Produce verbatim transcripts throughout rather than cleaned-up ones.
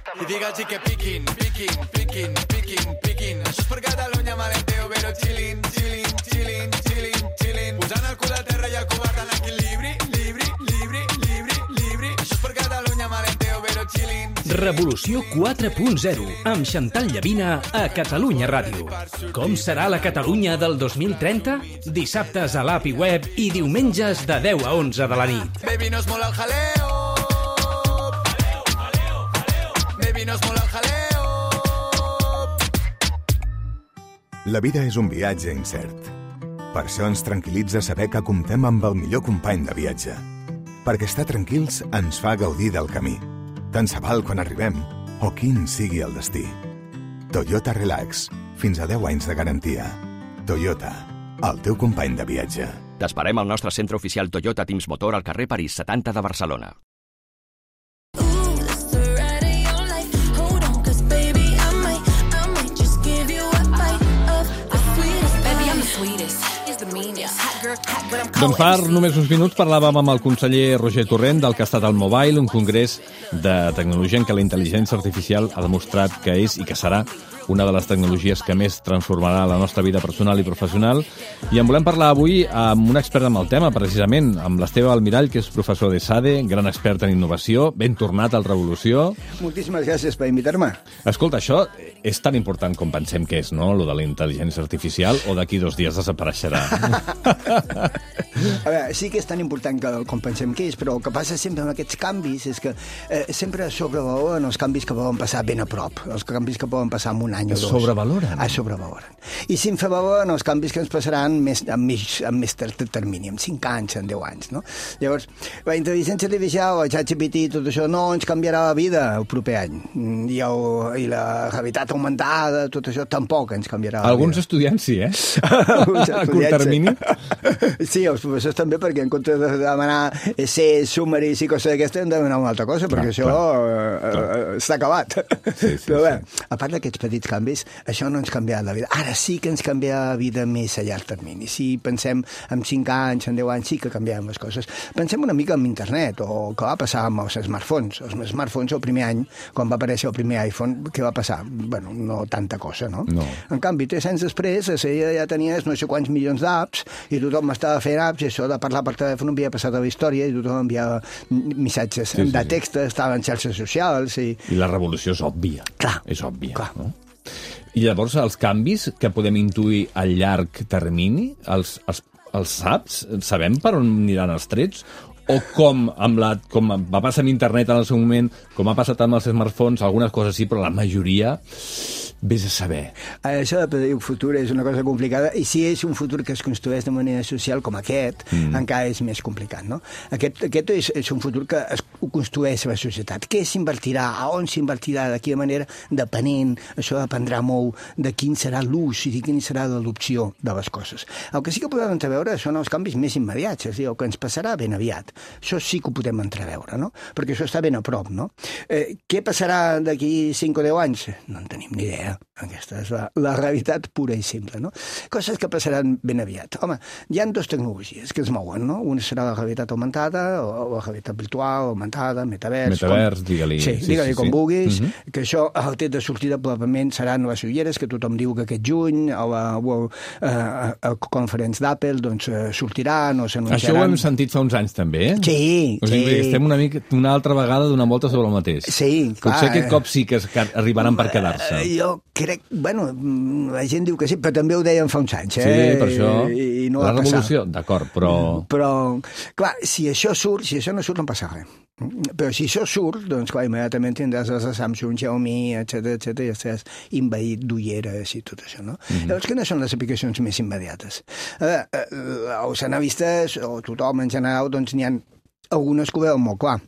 I digue'ls que piquin, piquin, piquin, piquin, piquin. Això és per Catalunya, malenteo, però chillin, chillin, chillin, chillin, chillin. Posant el cul a terra i el covard en equilibri, libri, libri, libri, libri. Això és per Catalunya, malenteo, però chillin. Revolució quatre punt zero, amb Xantal Llavina a Catalunya Ràdio. Com serà la Catalunya del dos mil trenta? Dissabtes a l'app i web i diumenges de deu a onze de la nit. Baby, no es mola el jaleo. Baby, no es mola el jaleo. La vida és un viatge incert. Per això ens tranquil·litza saber que comptem amb el millor company de viatge. Perquè estar tranquils ens fa gaudir del camí. Tant se val quan arribem o quin sigui el destí. Toyota Relax. Fins a deu anys de garantia. Toyota, el teu company de viatge. T'esperem al nostre centre oficial Toyota Teams Motor al carrer París setanta de Barcelona. Doncs fa només uns minuts parlàvem amb el conseller Roger Torrent del que ha estat el Mobile, un congrés de tecnologia en què la intel·ligència artificial ha demostrat que és i que serà una de les tecnologies que més transformarà la nostra vida personal i professional. I en volem parlar avui amb un expert amb el tema, precisament, amb l'Esteve Almirall, que és professor de SADE, gran expert en innovació, ben tornat al Revolució. Moltíssimes gràcies per invitar-me. Escolta, això és tan important com pensem que és, no?, lo de la intel·ligència artificial, o d'aquí dos dies desapareixerà? A veure, sí que és tan important que, com pensem que és, però el que passa sempre amb aquests canvis és que eh, sempre sobrevaloren els canvis que poden passar ben a prop, els canvis que poden passar en un any o dos. Sobrevaloren? Ah, sobrevaloren. I s'infravaloren els canvis que ens passaran més, amb, més, amb més termini, en cinc anys, en deu anys, no? Llavors, la intel·ligència artificial, el ChatGPT, tot això no ens canviarà la vida el proper any. I, el, i la realitat augmentada, tot això tampoc ens canviarà la Alguns vida. estudiants sí, eh? Alguns a curt termini? Sí, els professors també, perquè en comptes de demanar essays, sumaris i coses d'aquestes, hem de demanar una altra cosa, clar, perquè això eh, està acabat. Sí, sí, però bé, sí. A part d'aquests petits canvis, això no ens canviarà la vida. Ara sí que ens canviarà la vida més a llarg termini. Si pensem en cinc anys, en deu anys, sí que canviarem les coses. Pensem una mica en internet, o què va passar amb els smartphones. Els smartphones, el primer any, quan va aparèixer el primer iPhone, què va passar? Bueno, no tanta cosa, no? No. En canvi, tres anys després, ja tenies no sé quants milions d'apps, i tothom estava fent apps, i això de parlar per telèfon havia passat a la història, i tothom enviava missatges sí, sí, de text, sí. Estava en xarxes socials... I... I la revolució és òbvia. Clar. És òbvia, clar. No? I llavors els canvis que podem intuir a llarg termini, els, els, els saps? Sabem per on aniran els trets? O com, amb la, com va passar amb internet en el seu moment, com ha passat amb els smartphones, algunes coses sí, però la majoria... Vés a saber. Això de predir un futur és una cosa complicada, i si és un futur que es construeix de manera social com aquest, mm. encara és més complicat, no? Aquest, aquest és, és un futur que es construeix la societat. Què s'invertirà? A on s'invertirà? De quina manera? Depenent. Això dependrà molt de quin serà l'ús i de quina serà l'adopció de les coses. El que sí que podem entreveure són els canvis més immediats, és a dir, el que ens passarà ben aviat. Això sí que ho podem entreveure, no? Perquè això està ben a prop, no? Eh, què passarà d'aquí cinc o deu anys? No en tenim ni idea. Aquesta és la, la realitat pura i simple, no? Coses que passaran ben aviat. Home, hi ha dues tecnologies que es mouen, no? Una serà la realitat augmentada, o la realitat virtual, augmentada, metavers... Metavers, digue-li. Sí, digue-li sí, com sí. vulguis, uh-huh. que això, el tret de sortida probablement seran les ulleres, que tothom diu que aquest juny, a la World uh, Conference d'Apple, doncs uh, sortiran o s'anunciaran... Això ho hem sentit fa uns anys, també, eh? Sí, o sigui, sí. Estem una, mica, una altra vegada donant volta sobre el mateix. Sí, clar. Potser aquest cop sí que arribaran per quedar-se. Jo crec, bueno, la gent diu que sí, però també ho deien fa uns anys, eh? Sí, per això. I, i no la va revolució, d'acord, però... Però, clar, si això surt, si això no surt, no passa res. Però si això surt, doncs, clar, immediatament tindràs les de Samsung, Xiaomi, etcètera, etcètera, i estaràs invaït d'ulleres i tot això, no? Mm-hmm. Llavors, quines són les aplicacions més immediates? A veure, els analistes, o tothom en general, doncs n'hi ha algunes que ho veuen molt clar.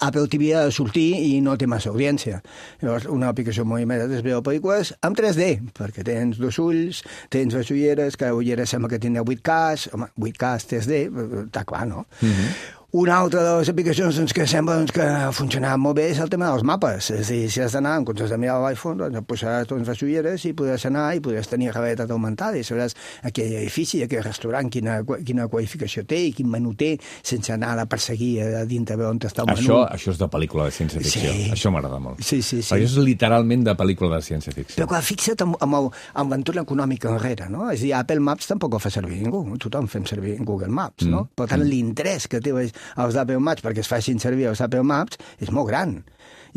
Apple T V ha de sortir i no té massa audiència. Llavors, una aplicació molt immediata és veure pel·lícules amb tres D, perquè tens dos ulls, tens les ulleres, cada ullera sembla que tindrà vuit K, home, vuit K, tres D, està clar, no? Mm-hmm. Una altra de les aplicacions doncs, que sembla doncs, que funcionava molt bé és el tema dels mapes. És a dir, si has d'anar en comptes de mirar l'iPhone, doncs et posaràs doncs, les ulleres i podràs anar i podràs tenir realitat augmentada i sabràs aquell edifici, aquell restaurant, quina, quina qualificació té i quin menú té, sense anar a perseguir a dintre on està el menú. Això, això és de pel·lícula de ciència-ficció. Sí. Això m'agrada molt. Sí, sí, sí. Això és literalment de pel·lícula de ciència-ficció. Però clar, fixa't amb, amb, el, amb l'entorn econòmic enrere, no? És a dir, Apple Maps tampoc ho fa servir ningú. Tothom fem servir Google Maps, no? Mm. Per tant, mm. l'interès que té els Apple Maps perquè es facin servir els Apple Maps és molt gran.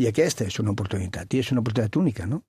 I aquesta és una oportunitat, i és una oportunitat única, no?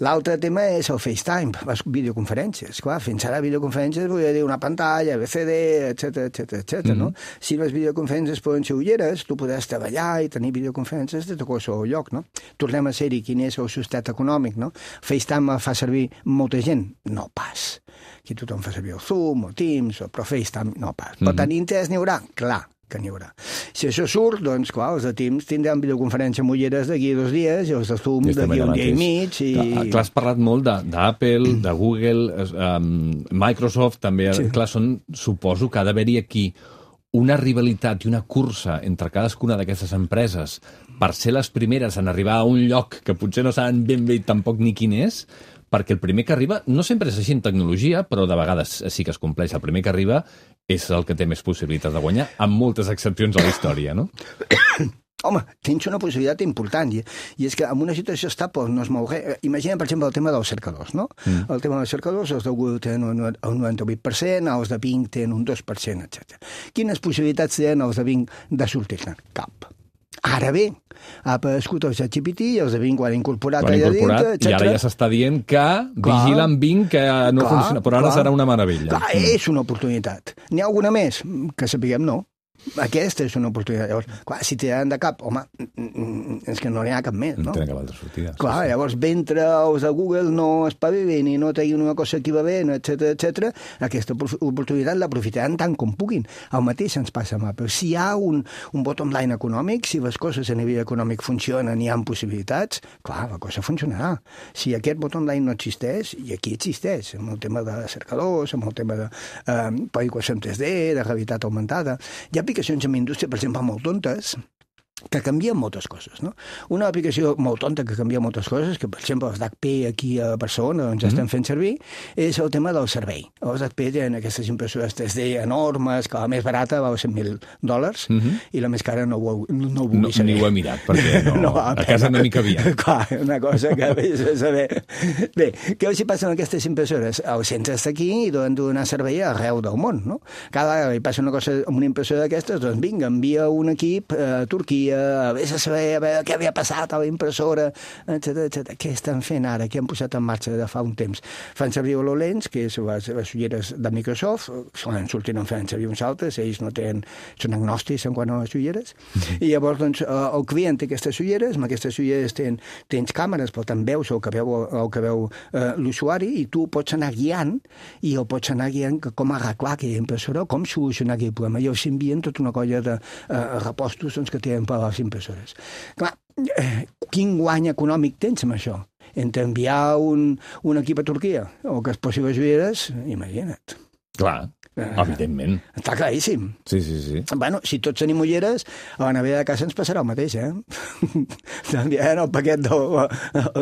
L'altre tema és el FaceTime, les videoconferències. Clar, fins ara videoconferències volia dir una pantalla, B C D, etcètera, etcètera, etcètera, no? Si les videoconferències poden ser ulleres, tu podràs treballar i tenir videoconferències de qualsevol lloc, no? Tornem a ser-hi quin és el sostat econòmic, no? FaceTime fa servir molta gent? No pas. Aquí tothom fa servir el Zoom, o Teams, o però FaceTime no pas. Per tant, interès n'hi haurà? Clar que n'hi haurà. Si això surt, doncs, clar, els de Teams tindran videoconferència amb ulleres d'aquí a dos dies i els de Zoom d'aquí a un dia i mig. I... Clar, clar, has parlat molt d'Apple, de, de Google, um, Microsoft, també. Sí. Clar, són, suposo que ha d'haver-hi aquí una rivalitat i una cursa entre cadascuna d'aquestes empreses per ser les primeres en arribar a un lloc que potser no saben ben bé tampoc ni quin és, perquè el primer que arriba, no sempre és així en tecnologia, però de vegades sí que es compleix. El primer que arriba és el que té més possibilitats de guanyar, amb moltes excepcions a la història, no? Home, tens una possibilitat important, i, i és que en una situació estable no es mou res. Imagina, per exemple, el tema dels cercadors, no? Mm. El tema dels cercadors, els de Google tenen un, un noranta-vuit per cent, els de Bing tenen un dos per cent, etcètera. Quines possibilitats tenen els de Bing de sortir-ne? Cap. Ara bé, ha aparegut el ChatGPT i els de Bing ho han incorporat allà dintre, etcètera. I ara ja s'està dient que vigila amb Bing que no clar, funciona, però ara clar, serà una meravella. Clar, és una oportunitat. N'hi ha alguna més? Que sapiguem no. Aquesta és una oportunitat. Llavors, clar, si tiraran de cap, home, és que no n'hi ha cap més, no? No tenen cap altra sortida. Clar, sí, sí. Llavors, mentre els de Google no espavilin i no treguin una cosa equivalent, etcètera, etcètera, aquesta oportunitat l'aprofitaran tant com puguin. El mateix ens passa amb Apple. Si hi ha un, un bottom line econòmic, si les coses a nivell econòmic funcionen i hi ha possibilitats, clar, la cosa funcionarà. Si aquest bottom line no existeix, i aquí existeix, amb el tema de cercadors, amb el tema de eh, pel·lícules en tres D, de realitat augmentada, hi ha aplicacions en indústria, per exemple, molt tontes, que canvien moltes coses, no? Una aplicació molt tonta que canvia moltes coses, que per exemple els d'H P aquí a Barcelona doncs ja estan fent servir, és el tema del servei. Els H P tenen aquestes impressores tres D enormes, que la més barata val cent mil dòlars, uh -huh. i la més cara no ho, no ho vull no, saber. Ni ho he mirat, perquè no, no, a casa no m'hi cabia. Clar, una cosa que vés a saber. Bé, què els hi passa amb aquestes impressores? El centre està aquí i donen donar servei arreu del món, no? Cada vegada hi passa una cosa amb una impressora d'aquestes, doncs vinga, envia un equip a Turquia, a vés a saber a veure què havia passat a la impressora, etcètera, etcètera. Què estan fent ara? Què han posat en marxa de fa un temps? Fan servir HoloLens, que és les, les ulleres de Microsoft, solen sortir en fan servir uns altres, ells no tenen, són agnòstics en quant a les ulleres, i llavors doncs, el client té aquestes ulleres, amb aquestes ulleres tens, tens càmeres, per tant veus el que veu, el que veu eh, l'usuari, i tu pots anar guiant, i el pots anar guiant com arreglar aquella impressora, com solucionar aquell problema, i els envien tota una colla de eh, repostos doncs, que tenen per a les impressores. Clar, eh, quin guany econòmic tens amb això? Entre enviar un, un equip a Turquia o que es posi les ulleres, imagina't. Clar, eh, evidentment. Està claríssim. Sí, sí, sí. Bueno, si tots tenim ulleres, a la nevera de casa ens passarà el mateix, eh? T'enviaran el paquet del,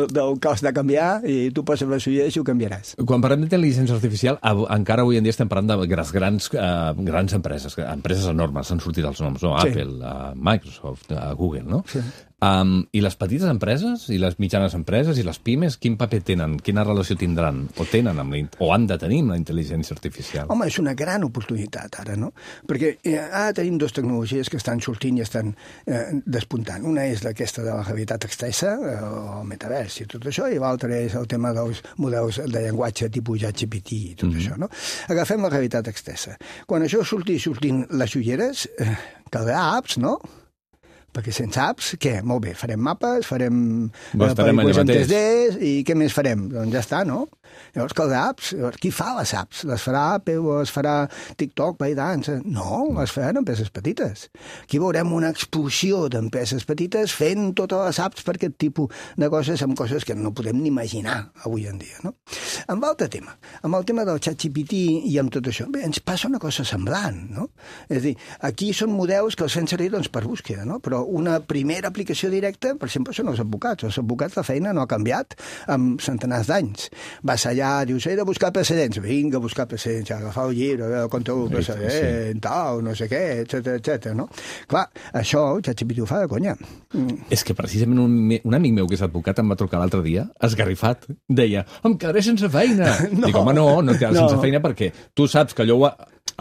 del cost de canviar i tu poses les ulleres i ho canviaràs. Quan parlem d'intel·ligència artificial, encara avui en dia estem parlant de grans, grans, uh, grans empreses, empreses enormes, han sortit els noms, no? Sí. Apple, uh, Microsoft, uh, Google, no? Sí. Um, I les petites empreses, i les mitjanes empreses, i les pimes, quin paper tenen? Quina relació tindran? O tenen amb la, o han de tenir amb la intel·ligència artificial? Home, és una gran oportunitat ara, no? Perquè eh, ara tenim dues tecnologies que estan sortint i estan eh, despuntant. Una és aquesta de la realitat extensa, eh, el metavers i tot això, i l'altra és el tema dels models de llenguatge tipus ChatGPT i tot mm-hmm. això, no? Agafem la realitat extensa. Quan això surti sortint les ulleres, eh, caldrà apps, no? Perquè sense apps, què? Molt bé, farem mapes, farem pel·lícules en tres D, i què més farem? Doncs ja està, no? Llavors, que les apps, llavors, qui fa les apps? Les farà Apple o les farà TikTok, ByteDance? No, les faran empreses petites. Aquí veurem una explosió d'empreses petites fent totes les apps per aquest tipus de coses, amb coses que no podem ni imaginar avui en dia, no? Amb l'altre tema, amb el tema del ChatGPT i amb tot això, bé, ens passa una cosa semblant, no? És a dir, aquí són models que els fem servir doncs, per búsqueda, no? Però una primera aplicació directa, per exemple, són els advocats. Els advocats, la feina no ha canviat amb centenars d'anys. Vas allà, dius, he de buscar precedents. Vinga, buscar precedents, agafar el llibre, el control del precedent, tal, no sé què, etcètera, etcètera, no? Clar, això, el ChatGPT ho fa de conya. Mm. És que precisament un, un amic meu que és advocat em va trucar l'altre dia, esgarrifat, deia, em quedaré sense feina. No. Dic, home, no, no et quedaràs no. sense feina perquè tu saps que allò ho ha,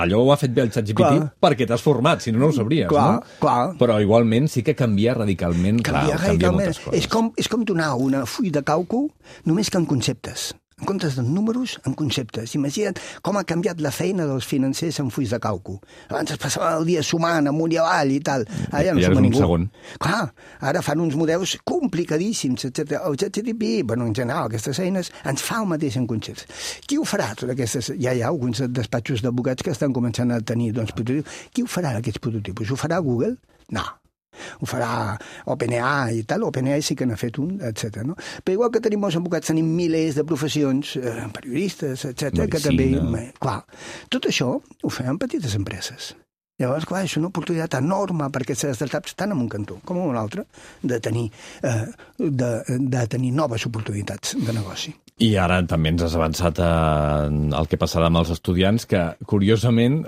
allò ho ha fet bé el ChatGPT clar. Perquè t'has format, si no, no ho sabries, clar, no? Clar. Però igualment sí que canvia radicalment, canvia clar, canvia moltes coses. És com, és com donar una full de càlcul només que en conceptes. En comptes de números, en conceptes. Imagina't com ha canviat la feina dels financers en fulls de càlcul. Abans es passava el dia sumant amunt i avall i tal. Ara ja no suma ningú. Segon. Clar, ara fan uns models complicadíssims, etcètera. El ChatGPT, bueno, en general, aquestes eines, ens fa el mateix en conceptes. Qui ho farà, totes aquestes? Ja hi ha alguns despatxos d'advocats que estan començant a tenir doncs, prototipus. Qui ho farà, aquests prototipus? Ho farà Google? No. Ho farà OpenAI i tal, OpenAI sí que n'ha fet un, etcètera. No? Però igual que tenim molts advocats, tenim milers de professions, eh, periodistes, etcètera, que també... Clar, tot això ho fem en petites empreses. Llavors, clar, és una oportunitat enorme per aquestes startups, tant en un cantó com en un altre, de tenir, eh, de, de tenir noves oportunitats de negoci. I ara també ens has avançat el que passarà amb els estudiants, que curiosament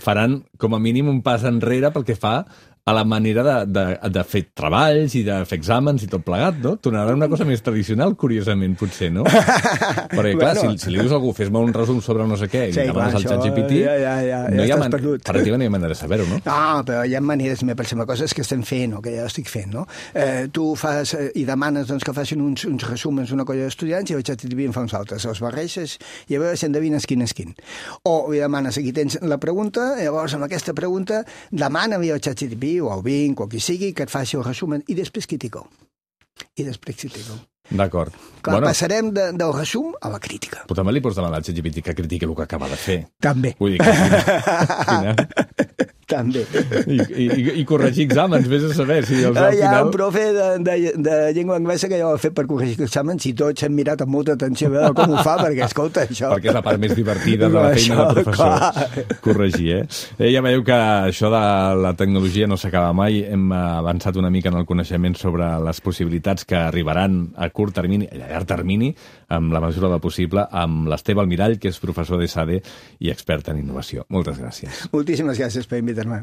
faran com a mínim un pas enrere pel que fa a la manera de, de, de fer treballs i de fer exàmens i tot plegat, no? Tornarà una cosa més tradicional, curiosament, potser, no? Perquè, clar, bueno. si, si li dius a algú, fes-me un resum sobre no sé què, i sí, demanes al ChatGPT, ja, ja, ja, no ja hi ha man... perdut. Pràcticament no hi ha manera de saber-ho, no? No, però hi ha maneres, per exemple, coses que estem fent o que ja estic fent, no? Eh, tu fas eh, i demanes doncs, que facin uns, uns resumens una colla d'estudiants i el ChatGPT en fa uns altres. Els barreixes i a veure si endevines quin és quin. O li demanes, aquí tens la pregunta, llavors amb aquesta pregunta demana-li al ChatGPT o al Bing o qui sigui que et faci el resumen i després critico. I després critico. D'acord. Clar, bueno, passarem de, del resum a la crítica. Però també li pots demanar al ChatGPT que critiqui el que acaba de fer. També. Vull dir que... Quina... També. I, i, I corregir exàmens, vés a saber si els, al Hi ha final... un profe de, de, de llengua anglesa que ja ho ha fet per corregir exàmens i tots hem mirat amb molta atenció a veure com ho fa, perquè, escolta, això... Perquè és la part més divertida de la feina això, del professor. Clar. Corregir, eh? eh? Ja veieu que això de la tecnologia no s'acaba mai. Hem avançat una mica en el coneixement sobre les possibilitats que arribaran a curt termini, a llarg termini, amb la mesura del possible, amb l'Esteve Almirall, que és professor de S A D i expert en innovació. Moltes gràcies. Moltíssimes gràcies per invitar.